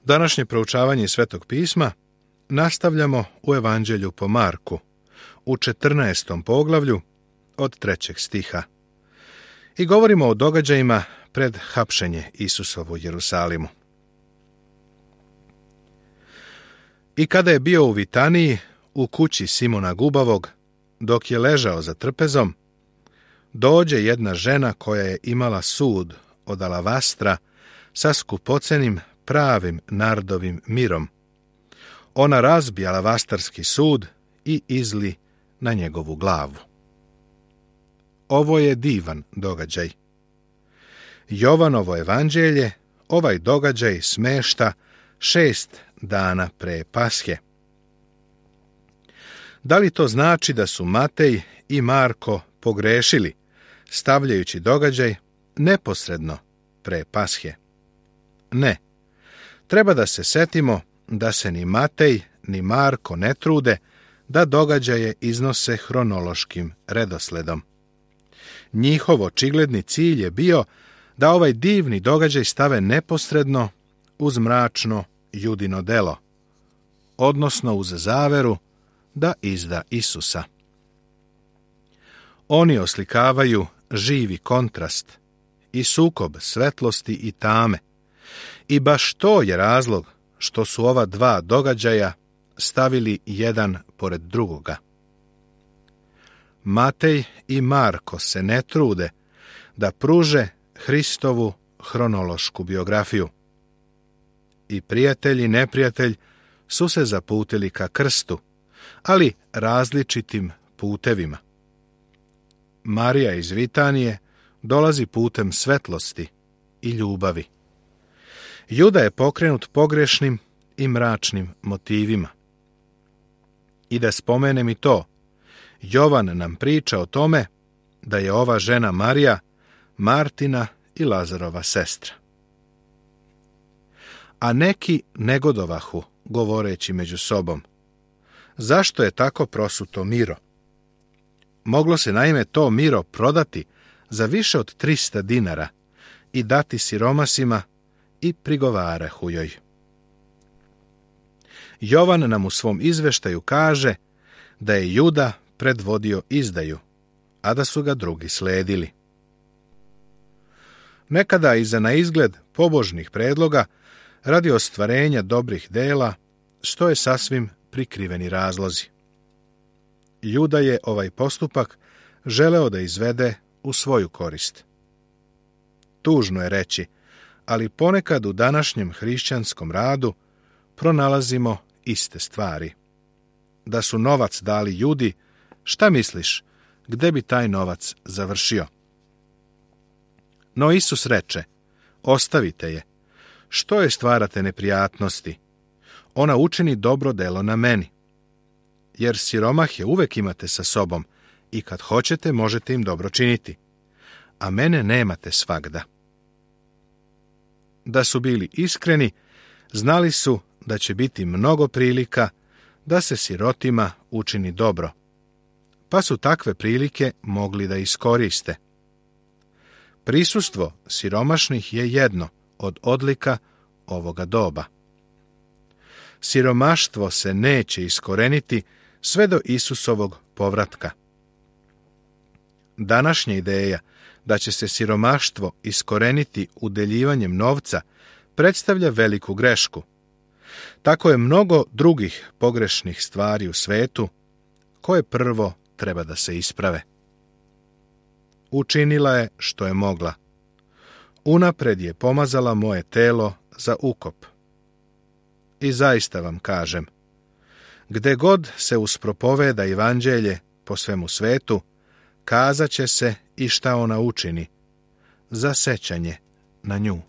Današnje proučavanje Svetog pisma nastavljamo u Evanđelju po Marku, u 14. poglavlju od 3. stiha. I govorimo o događajima pred hapšenje Isusovu u Jerusalimu. I kada je bio u Vitaniji, u kući Simona Gubavog, dok je ležao za trpezom, dođe jedna žena koja je imala sud od alavastra sa skupocenim pravim nardovim mirom. Ona razbi alavastarski sud i izli na njegovu glavu. Ovo je divan događaj. Jovanovo evanđelje ovaj događaj smešta 6 dana pre Pashe. Da li to znači da su Matej i Marko pogrešili, stavljajući događaj neposredno pre Pashe? Ne. Treba da se setimo da se ni Matej ni Marko ne trude da događaje iznose hronološkim redosledom. Njihov očigledni cilj je bio da ovaj divni događaj stave neposredno uz mračno Judino delo, odnosno uz zaveru da izda Isusa. Oni oslikavaju živi kontrast i sukob svetlosti i tame, i baš to je razlog što su ova dva događaja stavili jedan pored drugoga. Matej i Marko se ne trude da pruže Hristovu hronološku biografiju. I prijatelj i neprijatelj su se zaputili ka krstu, ali različitim putevima. Marija iz Vitanije dolazi putem svetlosti i ljubavi. Juda je pokrenut pogrešnim i mračnim motivima. I da spomenem i to, Jovan nam priča o tome da je ova žena Marija Martina i Lazarova sestra. A neki negodovahu, govoreći među sobom: zašto je tako prosuto miro? Moglo se naime to miro prodati za više od 300 dinara i dati siromasima, i prigovarahu joj. Jovan nam u svom izveštaju kaže da je Juda predvodio izdaju, a da su ga drugi sledili. Nekada iza na izgled pobožnih predloga radi ostvarenja dobrih dela stoje sasvim prikriveni razlozi. Juda je ovaj postupak želeo da izvede u svoju korist. Tužno je reći, ali ponekad u današnjem hrišćanskom radu pronalazimo iste stvari. Da su novac dali Judi, šta misliš, gde bi taj novac završio? No Isus reče: ostavite je, što je stvarate neprijatnosti? Ona učini dobro delo na meni. Jer siromahe uvek imate sa sobom i kad hoćete možete im dobro činiti, a mene nemate svagda. Da su bili iskreni, znali su da će biti mnogo prilika da se sirotima učini dobro, pa su takve prilike mogli da iskoriste. Prisustvo siromašnih je jedno od odlika ovoga doba. Siromaštvo se neće iskoreniti sve do Isusovog povratka. Današnja ideja da će se siromaštvo iskoreniti udeljivanjem novca predstavlja veliku grešku. Tako je mnogo drugih pogrešnih stvari u svetu koje prvo treba da se isprave. Učinila je što je mogla. Unapred je pomazala moje telo za ukop. I zaista vam kažem, gde god se uspropoveda evanđelje po svemu svetu, kazat će se i šta ona učini, za sećanje na nju.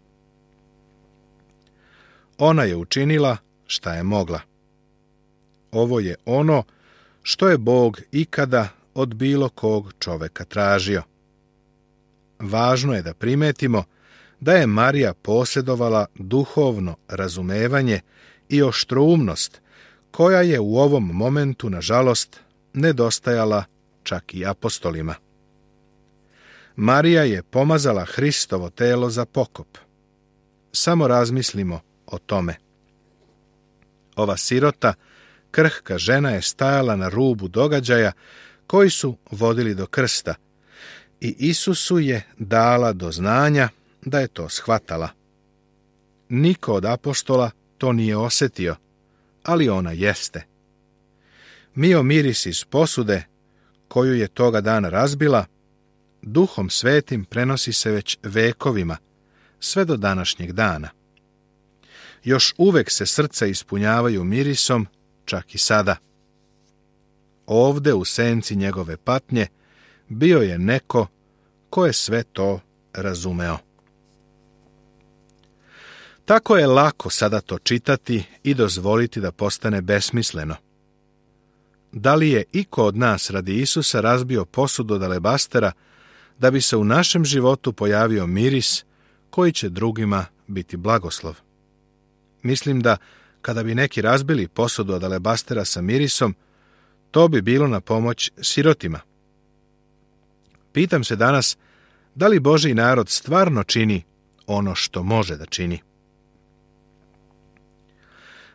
Ona je učinila šta je mogla. Ovo je ono što je Bog ikada od bilo kog čoveka tražio. Važno je da primetimo da je Marija posjedovala duhovno razumevanje i oštroumnost, koja je u ovom momentu, nažalost, nedostajala čak i apostolima. Marija je pomazala Hristovo telo za pokop. Samo razmislimo o tome. Ova sirota, krhka žena je stajala na rubu događaja koji su vodili do krsta i Isusu je dala do znanja da je to shvatala. Niko od apostola to nije osjetio, ali ona jeste. Mio miris iz posude, koju je toga dana razbila, Duhom Svetim prenosi se već vekovima, sve do današnjeg dana. Još uvek se srca ispunjavaju mirisom, čak i sada. Ovde u senci njegove patnje bio je neko ko je sve to razumeo. Tako je lako sada to čitati i dozvoliti da postane besmisleno. Da li je iko od nas radi Isusa razbio posudu od alebastera da bi se u našem životu pojavio miris koji će drugima biti blagoslov? Mislim da kada bi neki razbili posudu od alebastera sa mirisom, to bi bilo na pomoć sirotima. Pitam se danas, da li Božji narod stvarno čini ono što može da čini?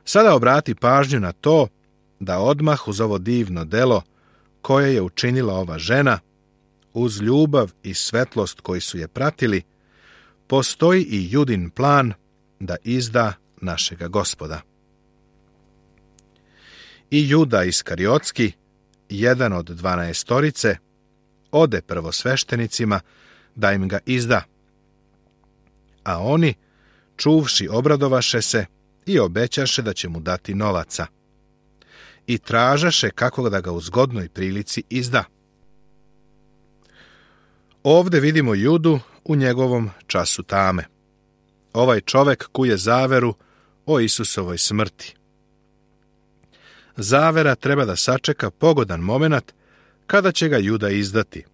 Sada obrati pažnju na to da odmah uz ovo divno delo koje je učinila ova žena, uz ljubav i svetlost koji su je pratili, postoji i Judin plan da izda našega Gospoda. I Juda Iskariotski, jedan od 12, ode prvosveštenicima da im ga izda. A oni, čuvši, obradovaše se i obećaše da će mu dati novaca. I tražaše kako da ga u zgodnoj prilici izda. Ovde vidimo Judu u njegovom času tame. Ovaj čovek kuje zaveru o Isusovoj smrti. Zavera treba da sačeka pogodan moment kada će ga Juda izdati.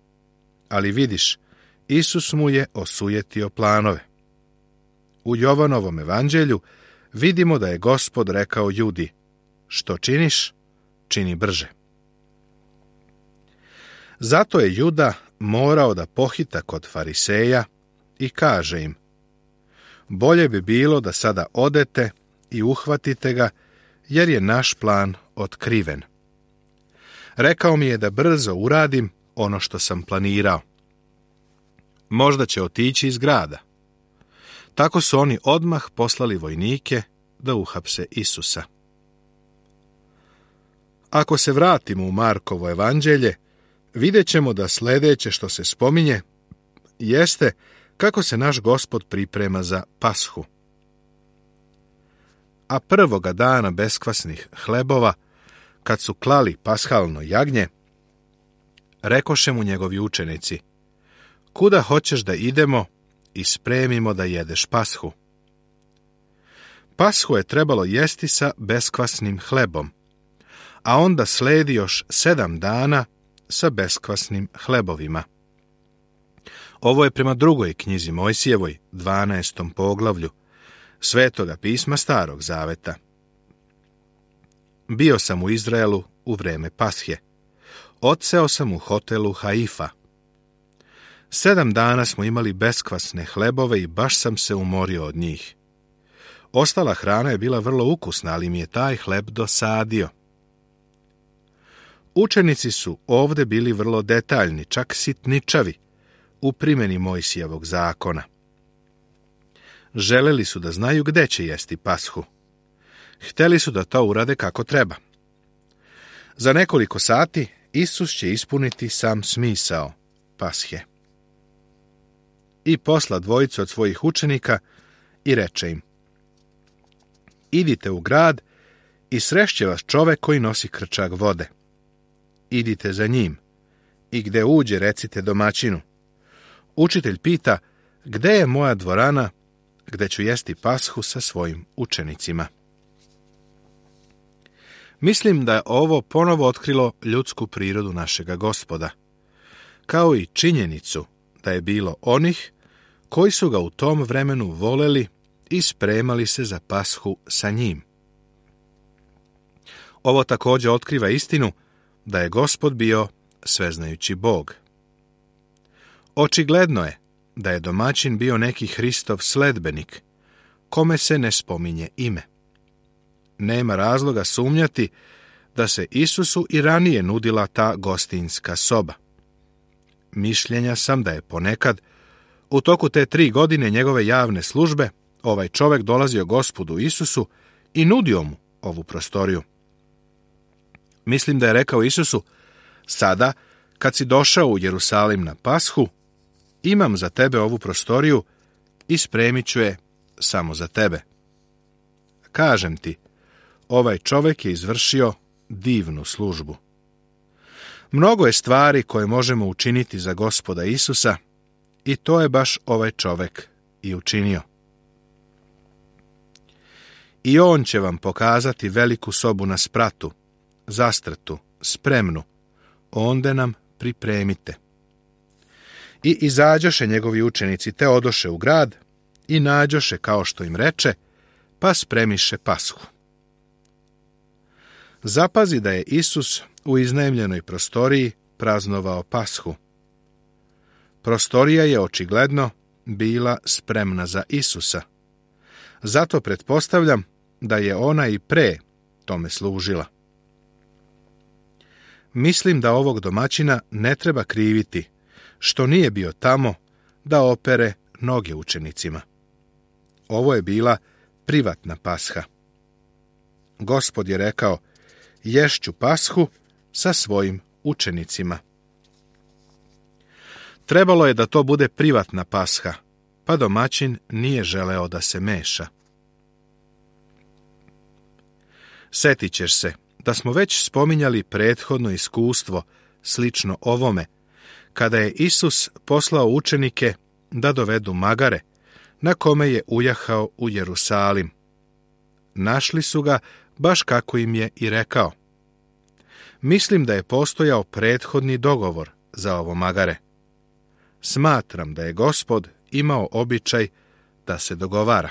Ali vidiš, Isus mu je osujetio planove. U Jovanovom evanđelju vidimo da je Gospod rekao Judi: što činiš, čini brže. Zato je Juda morao da pohita kod fariseja i kaže im: bolje bi bilo da sada odete i uhvatite ga, jer je naš plan otkriven. Rekao mi je da brzo uradim ono što sam planirao. Možda će otići iz grada. Tako su oni odmah poslali vojnike da uhapse Isusa. Ako se vratimo u Markovo evanđelje, vidjet ćemo da sljedeće što se spominje jeste kako se naš Gospod priprema za Pashu. A prvoga dana beskvasnih hlebova, kad su klali pashalno jagnje, rekoše mu njegovi učenici: kuda hoćeš da idemo i spremimo da jedeš Pashu? Pashu je trebalo jesti sa beskvasnim hlebom, a onda sledi još 7 dana sa beskvasnim hlebovima. Ovo je prema drugoj knjizi Mojsijevoj, 12. poglavlju, Svetoga pisma Starog zaveta. Bio sam u Izraelu u vreme Pashe. Odseo sam u hotelu Haifa. 7 dana smo imali beskvasne hlebove i baš sam se umorio od njih. Ostala hrana je bila vrlo ukusna, ali mi je taj hleb dosadio. Učenici su ovde bili vrlo detaljni, čak sitničavi, u primjeni Mojsijevog zakona. Želeli su da znaju gde će jesti Pashu. Hteli su da to urade kako treba. Za nekoliko sati Isus će ispuniti sam smisao Pashe. I posla dvojicu od svojih učenika i reče im: idite u grad i srešće vas čovek koji nosi krčak vode. Idite za njim i gde uđe recite domaćinu: učitelj pita, gde je moja dvorana gde ću jesti Pashu sa svojim učenicima? Mislim da je ovo ponovo otkrilo ljudsku prirodu našega Gospoda, kao i činjenicu da je bilo onih koji su ga u tom vremenu voleli i spremali se za Pashu sa njim. Ovo također otkriva istinu da je Gospod bio sveznajući Bog. Očigledno je da je domaćin bio neki Hristov sledbenik, kome se ne spominje ime. nema razloga sumnjati da se Isusu i ranije nudila ta gostinska soba. Mišljenja sam da je ponekad, u toku te 3 godine njegove javne službe, ovaj čovjek dolazio Gospodu Isusu i nudio mu ovu prostoriju. Mislim da je rekao Isusu: sada, kad si došao u Jerusalim na Pashu, imam za tebe ovu prostoriju i spremit ću je samo za tebe. Kažem ti, ovaj čovjek je izvršio divnu službu. Mnogo je stvari koje možemo učiniti za Gospoda Isusa i to je baš ovaj čovjek i učinio. I on će vam pokazati veliku sobu na spratu, zastrtu, spremnu, onde nam pripremite. I izađoše njegovi učenici, te odoše u grad i nađoše kao što im reče, pa spremiše Pashu. Zapazi da je Isus u iznajmljenoj prostoriji praznovao Pashu. Prostorija je očigledno bila spremna za Isusa. Zato pretpostavljam da je ona i pre tome služila. Mislim da ovog domaćina ne treba kriviti što nije bio tamo da opere noge učenicima. Ovo je bila privatna Pasha. Gospod je rekao: ješću Pashu sa svojim učenicima. Trebalo je da to bude privatna Pasha, pa domaćin nije želeo da se meša. Setit ćeš se da smo već spominjali prethodno iskustvo slično ovome, kada je Isus poslao učenike da dovedu magare, na kome je ujahao u Jerusalim. Našli su ga baš kako im je i rekao. Mislim da je postojao prethodni dogovor za ovo magare. Smatram da je Gospod imao običaj da se dogovara.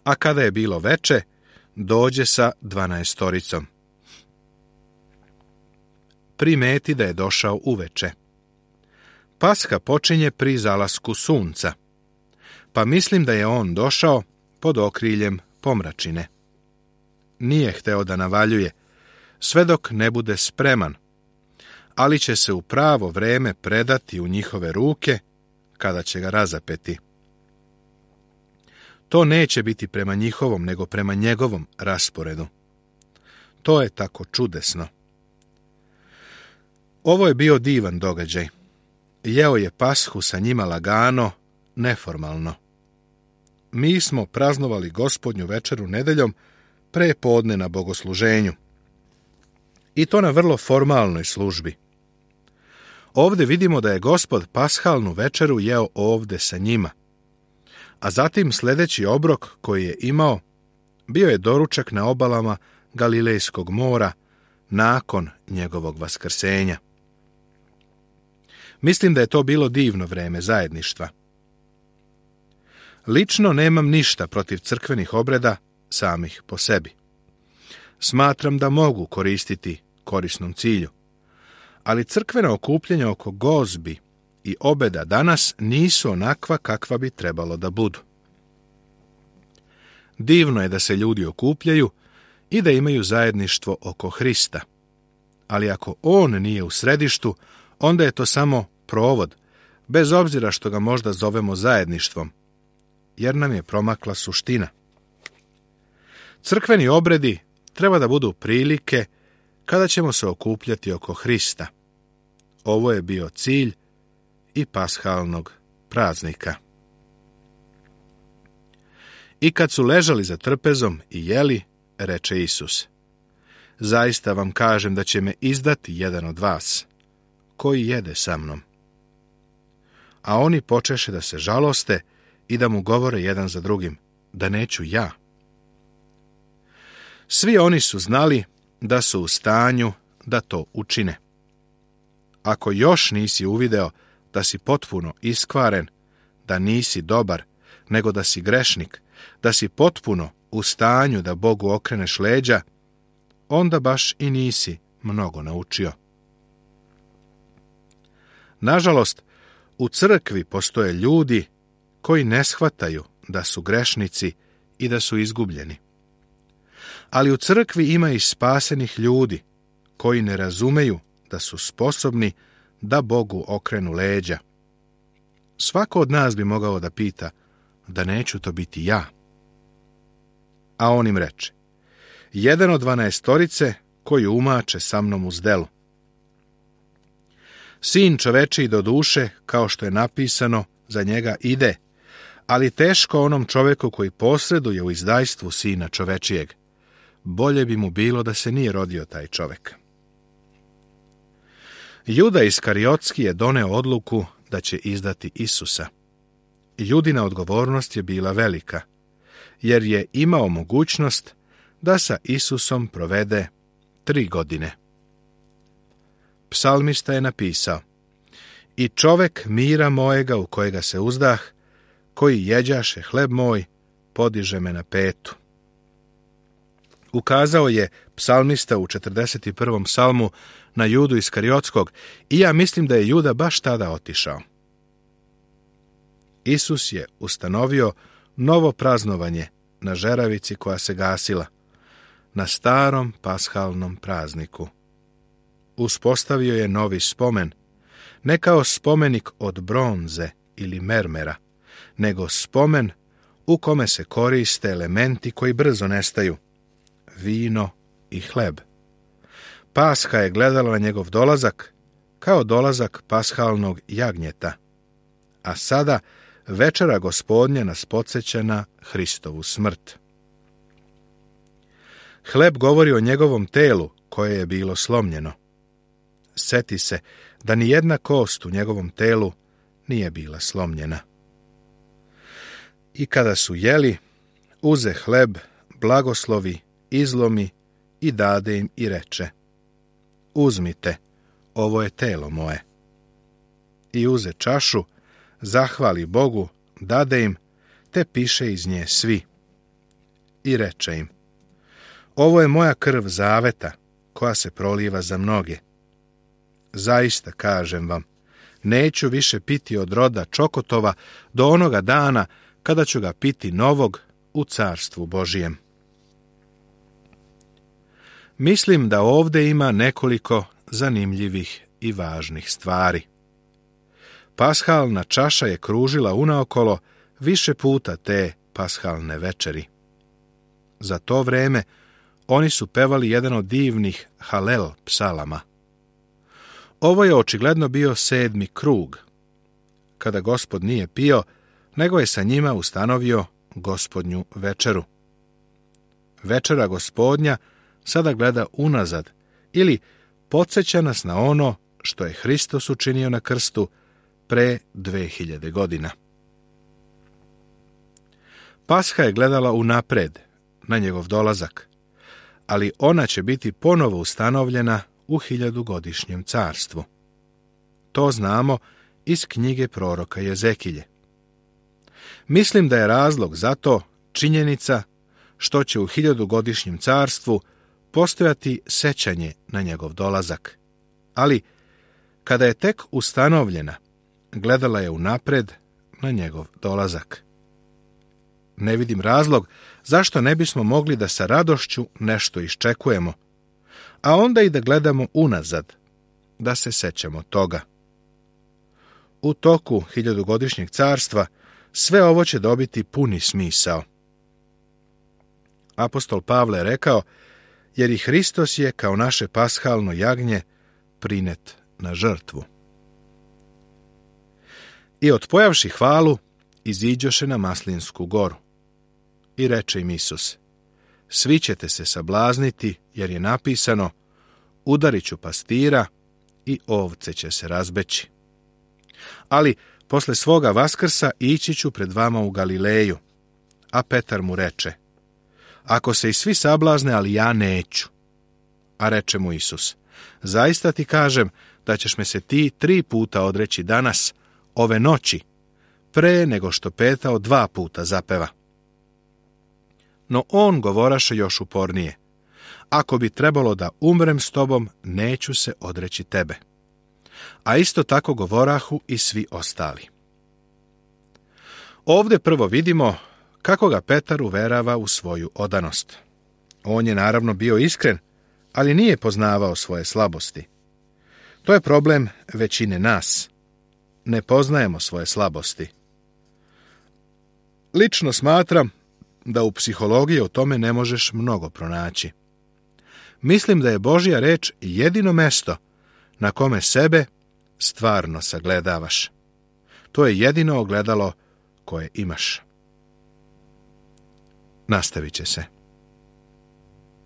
A kada je bilo veče, dođe sa 12. Primeti da je došao uveče. Pasha počinje pri zalasku sunca, pa mislim da je on došao pod okriljem pomračine. Nije hteo da navaljuje, sve dok ne bude spreman, ali će se u pravo vreme predati u njihove ruke kada će ga razapeti. To neće biti prema njihovom, nego prema njegovom rasporedu. To je tako čudesno. Ovo je bio divan događaj. Jeo je Pashu sa njima lagano, neformalno. Mi smo praznovali Gospodnju večeru nedeljom pre podne na bogosluženju. I to na vrlo formalnoj službi. Ovdje vidimo da je Gospod pashalnu večeru jeo ovdje sa njima. A zatim sljedeći obrok koji je imao bio je doručak na obalama Galilejskog mora nakon njegovog vaskrsenja. Mislim da je to bilo divno vreme zajedništva. Lično nemam ništa protiv crkvenih obreda samih po sebi. Smatram da mogu koristiti korisnom cilju. Ali crkvena okupljanja oko gozbi i obeda danas nisu onakva kakva bi trebalo da budu. Divno je da se ljudi okupljaju i da imaju zajedništvo oko Hrista. Ali ako on nije u središtu, onda je to samo provod, bez obzira što ga možda zovemo zajedništvom, jer nam je promakla suština. Crkveni obredi treba da budu prilike kada ćemo se okupljati oko Hrista. Ovo je bio cilj i pashalnog praznika. I kad su ležali za trpezom i jeli, reče Isus: zaista vam kažem da će me izdati jedan od vas, koji jede sa mnom. A oni počeše da se žaloste i da mu govore jedan za drugim: da neću ja. Svi oni su znali da su u stanju da to učine. Ako još nisi uvideo da si potpuno iskvaren, da nisi dobar, nego da si grešnik, da si potpuno u stanju da Bogu okreneš leđa, onda baš i nisi mnogo naučio. Nažalost, u crkvi postoje ljudi koji ne shvataju da su grešnici i da su izgubljeni. Ali u crkvi ima i spasenih ljudi koji ne razumeju da su sposobni da Bogu okrenu leđa. Svako od nas bi mogao da pita, da neću to biti ja. A on im reče, jedan od 12 koji umače sa mnom u zdelu. Sin čovečiji do duše, kao što je napisano, za njega ide, ali teško onom čoveku koji posreduje u izdajstvu sina čovečijeg. Bolje bi mu bilo da se nije rodio taj čovek. Juda Iskariotski je doneo odluku da će izdati Isusa. Judina odgovornost je bila velika, jer je imao mogućnost da sa Isusom provede 3 godine. Psalmista je napisao, i čovek mira mojega u kojega se uzdah, koji jeđaše hleb moj, podiže me na petu. Ukazao je psalmista u 41. psalmu na Judu Iskariotskog i ja mislim da je Juda baš tada otišao. Isus je ustanovio novo praznovanje na žeravici koja se gasila, na starom pashalnom prazniku. Uspostavio je novi spomen, ne kao spomenik od bronze ili mermera, nego spomen u kome se koriste elementi koji brzo nestaju, vino i hleb. Pasha je gledala na njegov dolazak kao dolazak pashalnog jagnjeta, a sada večera Gospodnja nas podsjeća na Hristovu smrt. Hleb govori o njegovom telu koje je bilo slomljeno. Seti se da ni jedna kost u njegovom telu nije bila slomljena. I kada su jeli, uze hleb, blagoslovi, izlomi i dade im i reče, uzmite, ovo je telo moje. I uze čašu, zahvali Bogu, dade im, te piše iz nje svi. I reče im, ovo je moja krv zaveta, koja se proliva za mnoge. Zaista kažem vam, neću više piti od roda čokotova do onoga dana kada ću ga piti novog u carstvu Božijem. Mislim da ovdje ima nekoliko zanimljivih i važnih stvari. Pashalna čaša je kružila unaokolo više puta te pashalne večeri. Za to vreme oni su pevali jedan od divnih Halel psalama. Ovo je očigledno bio 7. krug, kada Gospod nije pio, nego je sa njima ustanovio Gospodnju večeru. Večera Gospodnja sada gleda unazad ili podsjeća nas na ono što je Hristos učinio na krstu pre 2000 godina. Pasha je gledala unapred na njegov dolazak, ali ona će biti ponovo ustanovljena u 1000-godišnjem carstvu. To znamo iz knjige proroka Jezekilje. Mislim da je razlog za to činjenica što će u 1000-godišnjem carstvu postojati sećanje na njegov dolazak. Ali, kada je tek ustanovljena, gledala je unapred na njegov dolazak. Ne vidim razlog zašto ne bismo mogli da sa radošću nešto iščekujemo, a onda i da gledamo unazad, da se sećamo toga. U toku 1000-godišnjeg carstva sve ovo će dobiti puni smisao. Apostol Pavle je rekao, jer i Hristos je kao naše pashalno jagnje prinet na žrtvu. I otpojavši hvalu, iziđoše na Maslinsku goru. I reče im Isus, svi ćete se sablazniti, jer je napisano, udarit ću pastira i ovce će se razbeći. Ali posle svoga vaskrsa ići ću pred vama u Galileju. A Petar mu reče, ako se i svi sablazne, ali ja neću. A reče mu Isus, zaista ti kažem da ćeš me se ti 3 puta odreći danas, ove noći, pre nego što petao 2 puta zapeva. No on govoraše još upornije, ako bi trebalo da umrem s tobom, neću se odreći tebe. A isto tako govorahu i svi ostali. Ovdje prvo vidimo kako ga Petar uverava u svoju odanost. On je naravno bio iskren, ali nije poznavao svoje slabosti. To je problem većine nas. Ne poznajemo svoje slabosti. Lično smatram da u psihologiji o tome ne možeš mnogo pronaći. Mislim da je Božja reč jedino mesto na kome sebe stvarno sagledavaš. To je jedino ogledalo koje imaš. Nastavit će se.